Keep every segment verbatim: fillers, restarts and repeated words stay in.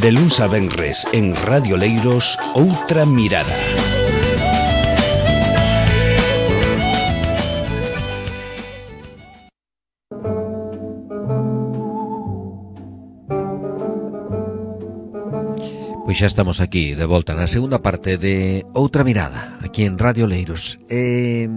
De luns a venres en Radio Leiros, Outra Mirada. Pois xa estamos aquí, de volta na segunda parte de Outra Mirada, aquí en Radio Leiros. Eh,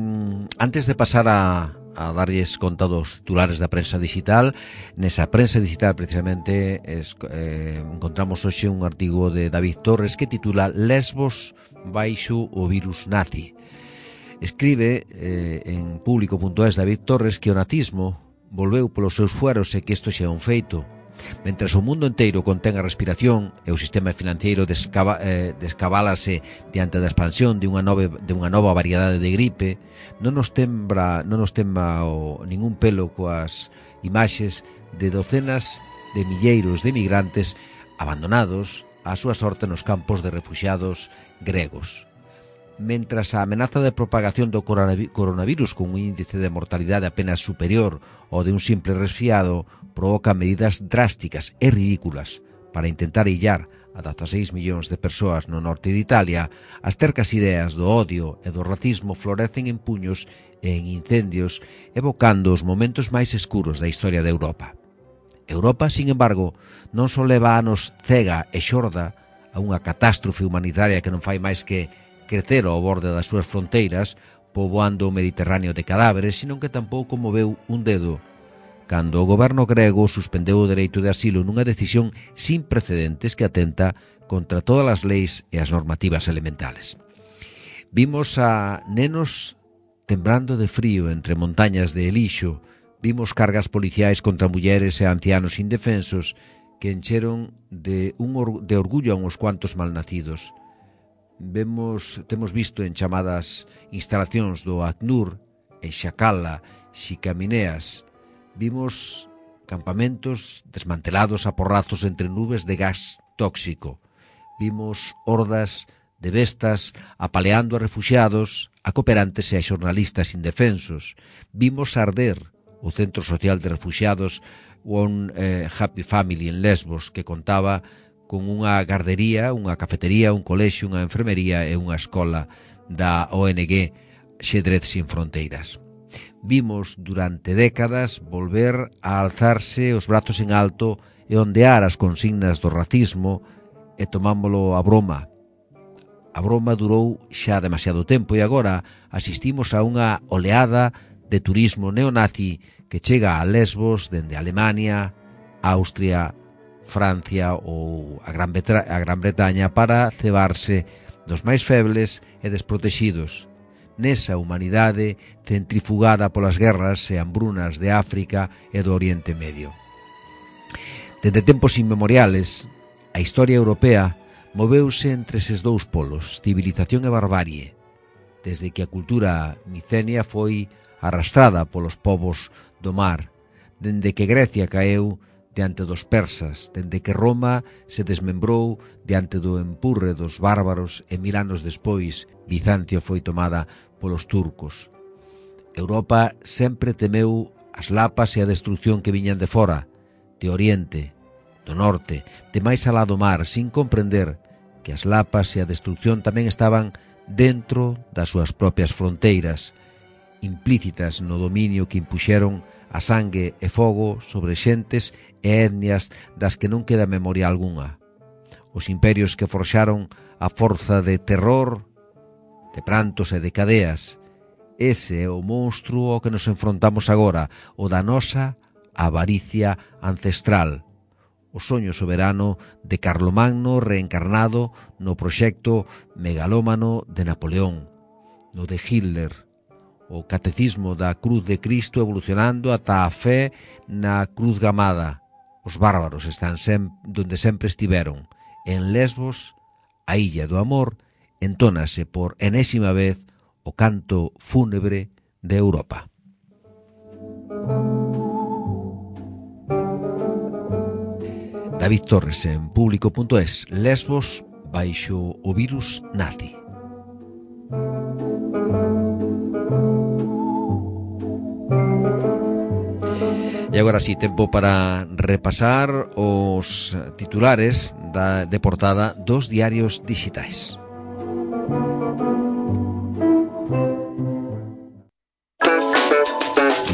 antes de pasar a, a darlles conta dos titulares da prensa digital, nesa prensa digital precisamente es, eh, encontramos hoxe un artigo de David Torres que titula Lesbos baixo o virus nazi. Escribe eh, en público punto es David Torres que o nazismo volveu polos seus fueros e que isto xa é un feito. Mentres o mundo inteiro contén a respiración e o sistema financeiro descaba, eh, descabálase diante da expansión de unha, nove, de unha nova variedade de gripe, non nos tembra, non nos tembra o, ningún pelo coas imaxes de docenas de milleiros de migrantes abandonados á súa sorte nos campos de refuxiados gregos. Mentras a amenaza de propagación do coronavirus con un índice de mortalidade apenas superior ao de un simple resfriado provoca medidas drásticas e ridículas para intentar illar a dezaseis millóns de persoas no norte de Italia, as tercas ideas do odio e do racismo florecen en puños e en incendios, evocando os momentos máis escuros da historia de Europa. Europa, sin embargo, non só leva anos cega e xorda a unha catástrofe humanitaria que non fai máis que crecer ao borde das súas fronteiras, poboando o Mediterráneo de cadáveres, sino que tampouco moveu un dedo cando o goberno grego suspendeu o dereito de asilo nunha decisión sin precedentes que atenta contra todas as leis e as normativas elementales. Vimos a nenos temblando de frío entre montañas de lixo, vimos cargas policiais contra mulleres e ancianos indefensos que encheron de, un or- de orgullo a uns cuantos malnacidos. Vemos, temos visto en chamadas instalacións do ACNUR, en Xacala, Xicamineas, vimos campamentos desmantelados a porrazos entre nubes de gas tóxico. Vimos hordas de bestas apaleando a refuxiados, a cooperantes e a xornalistas indefensos. Vimos arder o Centro Social de Refuxiados One eh, Happy Family en Lesbos, que contaba con unha gardería, unha cafetería, un colexio, unha enfermería e unha escola da O N G Xedrez Sin Fronteiras. Vimos durante décadas volver a alzarse os brazos en alto e ondear as consignas do racismo e tomámolo a broma. A broma durou xa demasiado tempo e agora asistimos a unha oleada de turismo neonazi que chega a Lesbos dende Alemania, Austria, Francia ou a Gran, Betra- a Gran Bretaña para cebarse dos máis febles e desprotexidos nesa humanidade centrifugada polas guerras e hambrunas de África e do Oriente Medio. Dende tempos inmemoriales, a historia europea moveuse entre eses dous polos, civilización e barbarie, desde que a cultura micenia foi arrastrada polos povos do mar, dende que Grecia caeu diante dos persas, dende que Roma se desmembrou diante do empurre dos bárbaros e mil anos despois Bizancio foi tomada polos turcos. Europa sempre temeu as lapas e a destrucción que viñan de fora, de Oriente, do Norte, de máis alá do mar, sin comprender que as lapas e a destrucción tamén estaban dentro das súas propias fronteiras, implícitas no dominio que impuxeron a sangue e fogo sobre xentes e etnias das que non queda memoria algunha. Os imperios que forxaron a forza de terror, de prantos e de cadeas. Ese é o monstruo ao que nos enfrontamos agora, o da nosa avaricia ancestral. O soño soberano de Carlomagno reencarnado no proxecto megalómano de Napoleón, no de Hitler, o catecismo da cruz de Cristo evolucionando ata a fe na cruz gamada. Os bárbaros están sem, donde sempre estiveron. En Lesbos, a illa do amor, entónase por enésima vez o canto fúnebre de Europa. David Torres en público punto es, Lesbos baixo o virus nazi. E E agora sí, tempo para repasar os titulares da, de portada dos diarios digitais.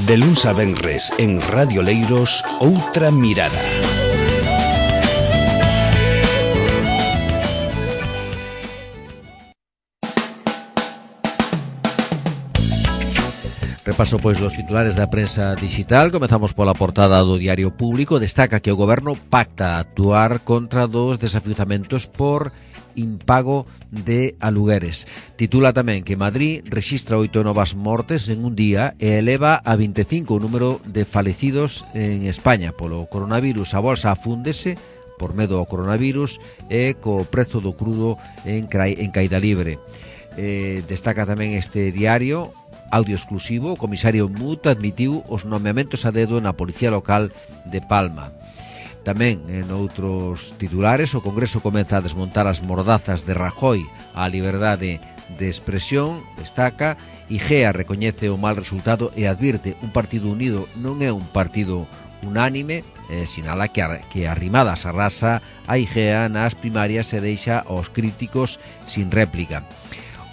De luns a venres en Radio Leiros, Outra Mirada. Repaso pois dos titulares da prensa digital. Comezamos pola portada do Diario Público. Destaca que o goberno pacta actuar contra dos desafiuzamentos por impago de alugueres. Titula tamén que Madrid rexistra oito novas mortes en un día e eleva a vinte e cinco o número de falecidos en España polo coronavirus. A bolsa afúndese por medo ao coronavirus e co prezo do crudo en, en caída libre. Eh, destaca tamén este diario, audio exclusivo, o comisario Mut admitiu os nomeamentos a dedo na Policía Local de Palma. Tamén en outros titulares, o Congreso comeza a desmontar as mordazas de Rajoy á liberdade de expresión. Destaca, Igea recoñece o mal resultado e advirte un partido unido non é un partido unánime. Eh, sinala que, a, que arrimadas arrasa a Igea nas primarias e deixa aos críticos sin réplica.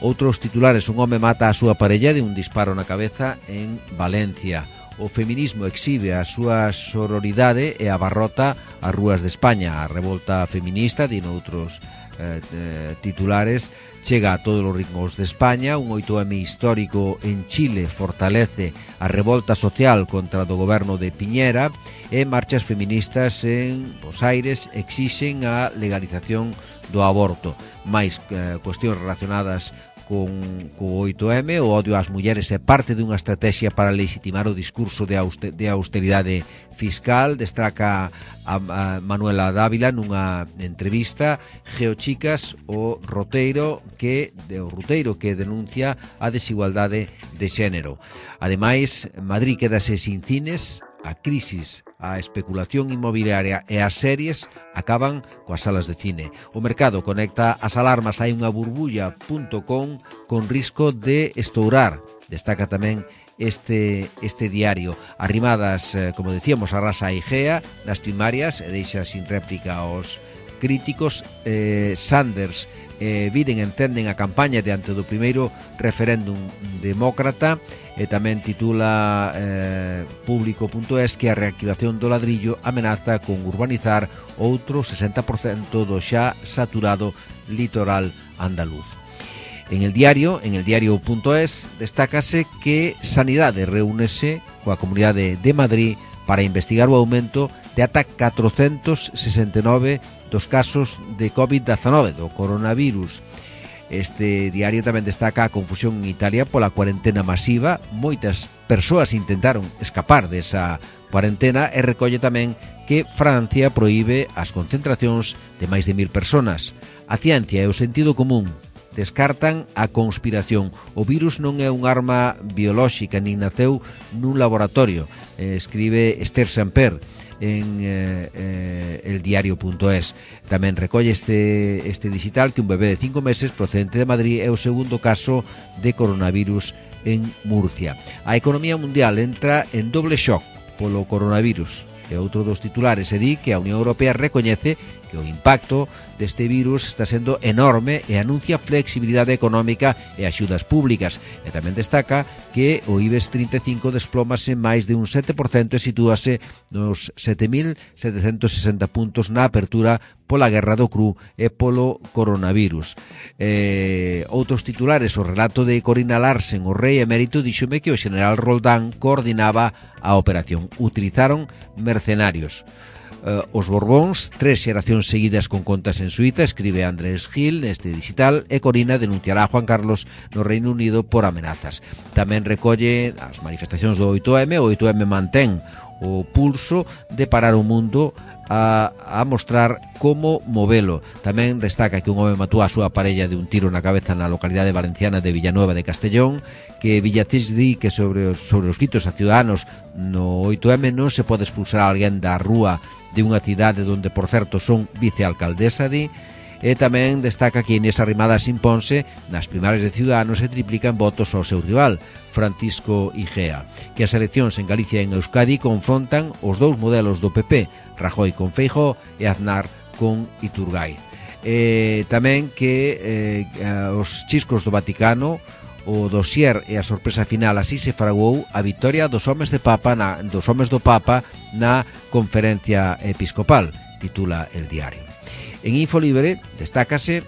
Outros titulares, un home mata a súa parella de un disparo na cabeza en Valencia. O feminismo exhibe a súa sororidade e abarrota as rúas de España. A revolta feminista, din outros eh, eh, titulares, chega a todos os ritmos de España. Un oito eme histórico en Chile fortalece a revolta social contra do goberno de Piñera e marchas feministas en Bos Aires exixen a legalización do aborto. Mais eh, cuestións relacionadas con o oito eme, o odio ás mulleres é parte dunha estrategia para legitimar o discurso de, auster, de austeridade fiscal. Destaca a, a Manuela Dávila nunha entrevista. Geochicas, o roteiro que de, o roteiro que denuncia a desigualdade de xénero. Ademais, Madrid quedase sin cines. A crisis, a especulación inmobiliaria e as series acaban coas salas de cine. O mercado conecta as alarmas. Hai unha burbulla punto com con risco de estourar. Destaca tamén este, este diario. Arrimadas, eh, como decíamos, arrasa a Igea nas primarias e deixa sin réplica aos críticos. eh, Sanders e Biden entenden a campaña diante do primeiro referéndum demócrata. E tamén titula eh, público punto es que a reactivación do ladrillo amenaza con urbanizar outro sesenta por cento do xa saturado litoral andaluz. En el diario, en el diario punto es, destácase que Sanidade reúnese coa Comunidade de Madrid para investigar o aumento de ata catrocentos sesenta e nove dos casos de covid diecinueve, do coronavirus. Este diario tamén destaca a confusión en Italia pola cuarentena masiva. Moitas persoas intentaron escapar desa cuarentena e recolle tamén que Francia proíbe as concentracións de máis de mil personas. A ciencia e o sentido común descartan a conspiración. O virus non é un arma biolóxica nin naceu nun laboratorio, eh, escribe Esther Samper en eh, eh, el diario punto es. Tamén recolle este, este digital que un bebé de cinco meses procedente de Madrid é o segundo caso de coronavirus en Murcia. A economía mundial entra en doble shock polo coronavirus. E outro dos titulares se di que a Unión Europea recoñece que o impacto deste virus está sendo enorme e anuncia flexibilidade económica e axudas públicas. E tamén destaca que o IBEX trinta e cinco desplómase máis de un sete por cento e sitúase nos sete mil setecentos sesenta puntos na apertura pola guerra do cru e polo coronavirus. Eh, outros titulares, o relato de Corina Larsen, o rei emérito, díxome que o xeneral Roldán coordinaba a operación. Utilizaron mercenarios. Uh, os Borbóns, tres xeracións seguidas con contas en Suiza, escribe Andrés Gil neste digital, e Corina denunciará a Juan Carlos no Reino Unido por amenazas. Tamén recolle as manifestacións do oito eme. O oito eme mantén o pulso de parar o mundo a, a mostrar como movelo. Tamén destaca que un home matou a súa parella de un tiro na cabeza na localidade valenciana de Villanueva de Castellón, que Villatés di que sobre os, sobre os gritos a ciudadanos no oito eme non se pode expulsar a alguén da rúa de unha cidade donde, por certo, son vicealcaldesa, di. E tamén destaca que Inés Arrimadas imponse nas primarias de Ciudadanos e triplica en votos ao seu rival, Francisco Igea, que as eleccións en Galicia e en Euskadi confrontan os dous modelos do P P, Rajoy con Feijóo e Aznar con Iturgaiz. Eh, tamén que eh, os chiscos do Vaticano, o dossier e a sorpresa final, así se fraguou a victoria dos homes de Papa na, dos homes do Papa na conferencia episcopal, titula El Diario. En Infolibre destácase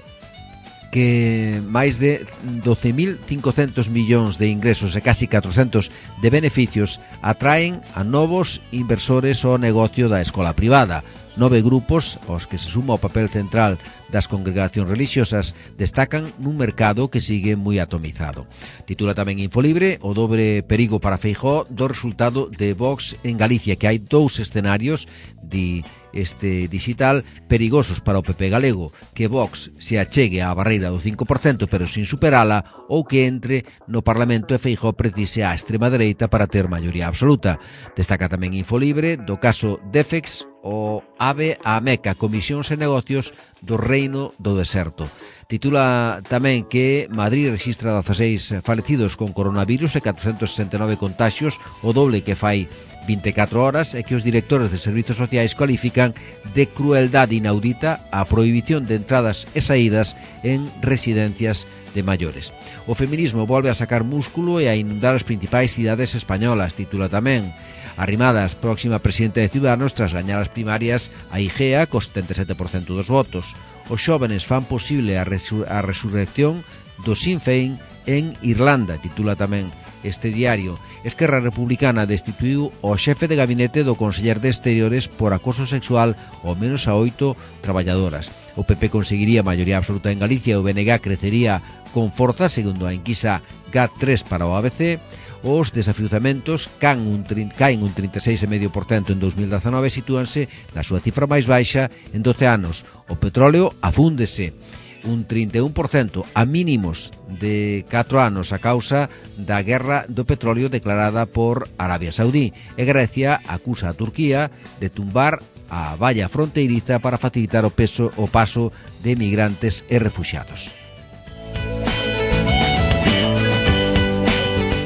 que máis de doce mil cincocentos millóns de ingresos e casi catrocentos de beneficios atraen a novos inversores ao negocio da escola privada. Nove grupos, aos que se suma o papel central das congregacións religiosas, destacan nun mercado que sigue moi atomizado. Titula tamén Infolibre o dobre perigo para Feijóo do resultado de Vox en Galicia, que hai dous escenarios de este digital perigosos para o P P galego, que Vox se achegue á barreira do cinco por cento pero sin superala, ou que entre no Parlamento e Feijóo precise a extrema dereita para ter maioría absoluta. Destaca tamén Infolibre do caso Defex, o AVE a Meca, Comisións e Negocios do Reino do Deserto. Titula tamén que Madrid rexistra dezaseis falecidos con coronavirus e catrocentos sesenta e nove contaxios, o doble que fai vinte e catro horas, e que os directores de servizos sociais cualifican de crueldade inaudita a prohibición de entradas e saídas en residencias de maiores. O feminismo volve a sacar músculo e a inundar as principais cidades españolas, titula tamén. Arrimadas, próxima presidenta de Ciudadanos tras gañar as primarias a Igea co setenta e sete por cento dos votos. Os xóvenes fan posible a, resur- a resurrección do Sinn Féin en Irlanda, titula tamén este diario. Esquerra Republicana destituiu o xefe de gabinete do Conselleiro de Exteriores por acoso sexual ao menos a oito traballadoras. O P P conseguiría maioría absoluta en Galicia e o B N G crecería con forza, segundo a enquisa G A T tres para o A B C. Os desafiuzamentos caen un, caen un trinta e seis vírgula cinco por cento en dos mil dezanove e sitúanse na súa cifra máis baixa en doce anos. O petróleo afúndese un trinta e un por cento a mínimos de catro anos a causa da guerra do petróleo declarada por Arabia Saudí, e Grecia acusa a Turquía de tumbar a valla fronteiriza para facilitar o, peso, o paso de migrantes e refuxiados.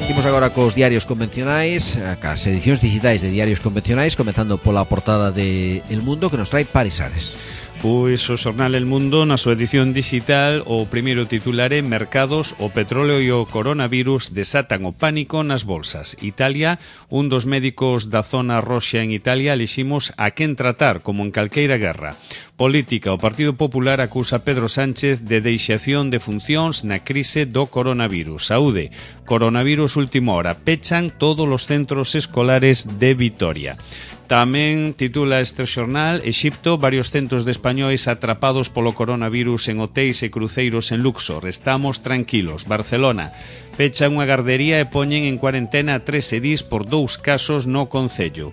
Imos agora cos diarios convencionais, cas edicións digitais de diarios convencionais, comezando pola portada de El Mundo, que nos trae Parisares. Pois o xornal El Mundo, na súa edición digital, o primeiro titular é Mercados, o petróleo e o coronavirus desatan o pánico nas bolsas. Italia, un dos médicos da zona roxa en Italia, eliximos a quen tratar, como en calqueira guerra. Política, o Partido Popular acusa a Pedro Sánchez de deixación de funcións na crise do coronavirus. Saúde, coronavirus última hora, pechan todos os centros escolares de Vitoria. Tamén titula este xornal Exipto, varios centos de españois atrapados polo coronavirus en hotéis e cruceiros en Luxor. Estamos tranquilos. Barcelona, pecha unha gardería e poñen en cuarentena a tres edís por dous casos no concello.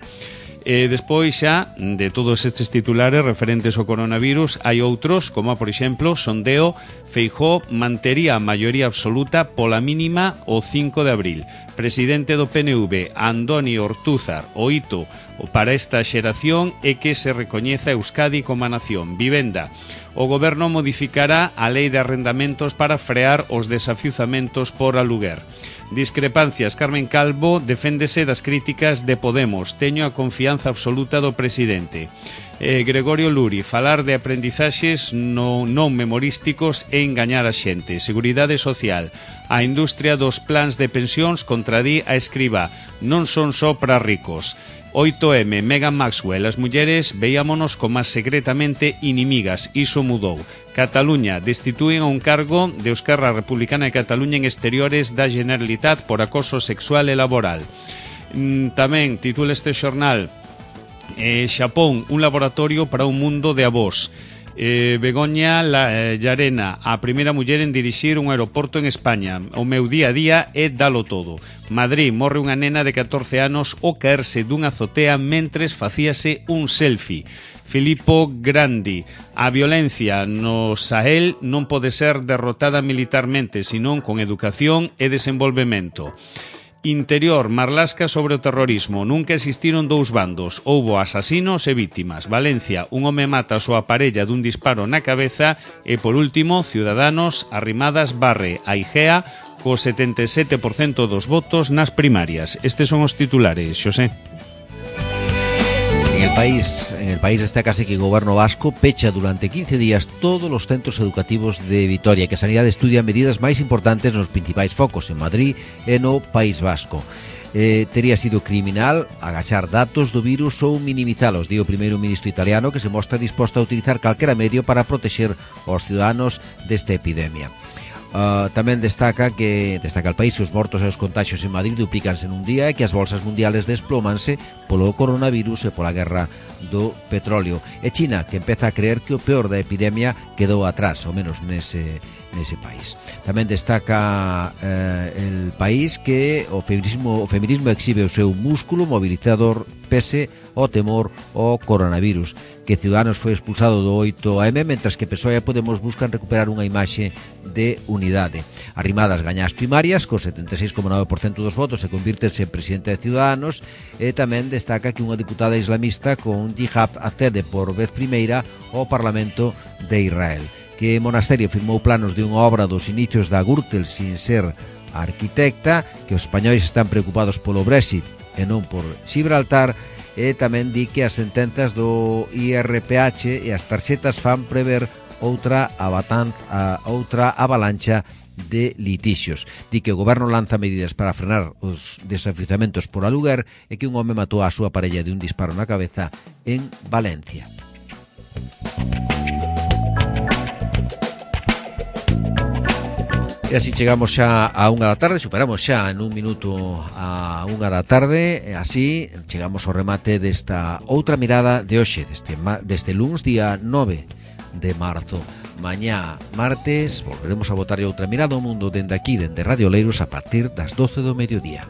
E despois xa de todos estes titulares referentes ao coronavirus hai outros, como por exemplo sondeo, Feijóo mantería a maioría absoluta pola mínima o cinco de abril. Presidente do P N V, Andoni Ortúzar, o hito para esta xeración é que se recoñeza Euskadi como a nación. Vivenda, o goberno modificará a lei de arrendamentos para frear os desafiuzamentos por aluguer. Discrepancias, Carmen Calvo deféndese das críticas de Podemos. Teño a confianza absoluta do presidente. Eh, Gregorio Luri, falar de aprendizaxes no, non memorísticos e engañar a xente. Seguridade social, a industria dos plans de pensións contradí a Escrivá. Non son só para ricos. oito eme, Meghan Maxwell, as mulleres veíamonos como secretamente inimigas, iso mudou. Cataluña, destituen a un cargo de Esquerra Republicana de Cataluña en exteriores da Generalitat por acoso sexual e laboral. Tamén titula este xornal eh, Xapón, un laboratorio para un mundo de avós. Eh, Begoña la, eh, Llarena, a primeira muller en dirixir un aeroporto en España. O meu día a día é dalo todo. Madrid, morre unha nena de catorce anos ao caerse dunha azotea mentres facíase un selfie. Filippo Grandi, a violencia no Sahel non pode ser derrotada militarmente, senón con educación e desenvolvemento. Interior, marlasca sobre o terrorismo. Nunca existiron dous bandos. Houbo asasinos e vítimas. Valencia, un home mata a súa parella dun disparo na cabeza. E, por último, Ciudadanos, Arrimadas barre a Igea co setenta e sete por cento dos votos nas primarias. Estes son os titulares, Xosé. En el país, en el país destacase que o goberno vasco pecha durante quince días todos os centros educativos de Vitoria, que a Sanidade estudia medidas máis importantes nos principais focos en Madrid e no País Vasco. Eh, tería sido criminal agachar datos do virus ou minimizalos, di o primeiro ministro italiano, que se mostra disposto a utilizar calquera medio para protexer aos ciudadanos desta epidemia. Uh, tamén destaca que destaca el país que os mortos e os contagios en Madrid duplícanse nun día e que as bolsas mundiales desplómanse polo coronavirus e pola guerra do petróleo. E China, que empeza a creer que o peor da epidemia quedou atrás, ao menos nese, nese país. Tamén destaca eh, el país que o feminismo, o feminismo exhibe o seu músculo mobilizador pese o temor ao coronavirus, que Ciudadanos foi expulsado do oito eme, mentras que P S O E e Podemos buscan recuperar unha imaxe de unidade. Arrimadas gaña as primarias, co setenta e seis coma nove por cento dos votos, e convírtese en presidente de Ciudadanos, e tamén destaca que unha diputada islamista con jihad accede por vez primeira ao Parlamento de Israel. Que Monasterio firmou planos de unha obra dos inicios da Gürtel sin ser arquitecta, que os españois están preocupados polo Brexit e non por Gibraltar, e tamén di que as sentenzas do I R P H e as tarxetas fan prever outra avatanza, outra avalancha de litixios. Di que o goberno lanza medidas para frenar os desafiuzamentos por aluguer e que un home matou a súa parella de un disparo na cabeza en Valencia. E así chegamos xa a unha da tarde, superamos xa en un minuto a unha da tarde, e así chegamos ao remate desta outra mirada de hoxe, deste, deste luns día nove de marzo. Mañá, martes, volveremos a botar outra mirada ao mundo dende aquí, dende Radio Leiros, a partir das doce do mediodía.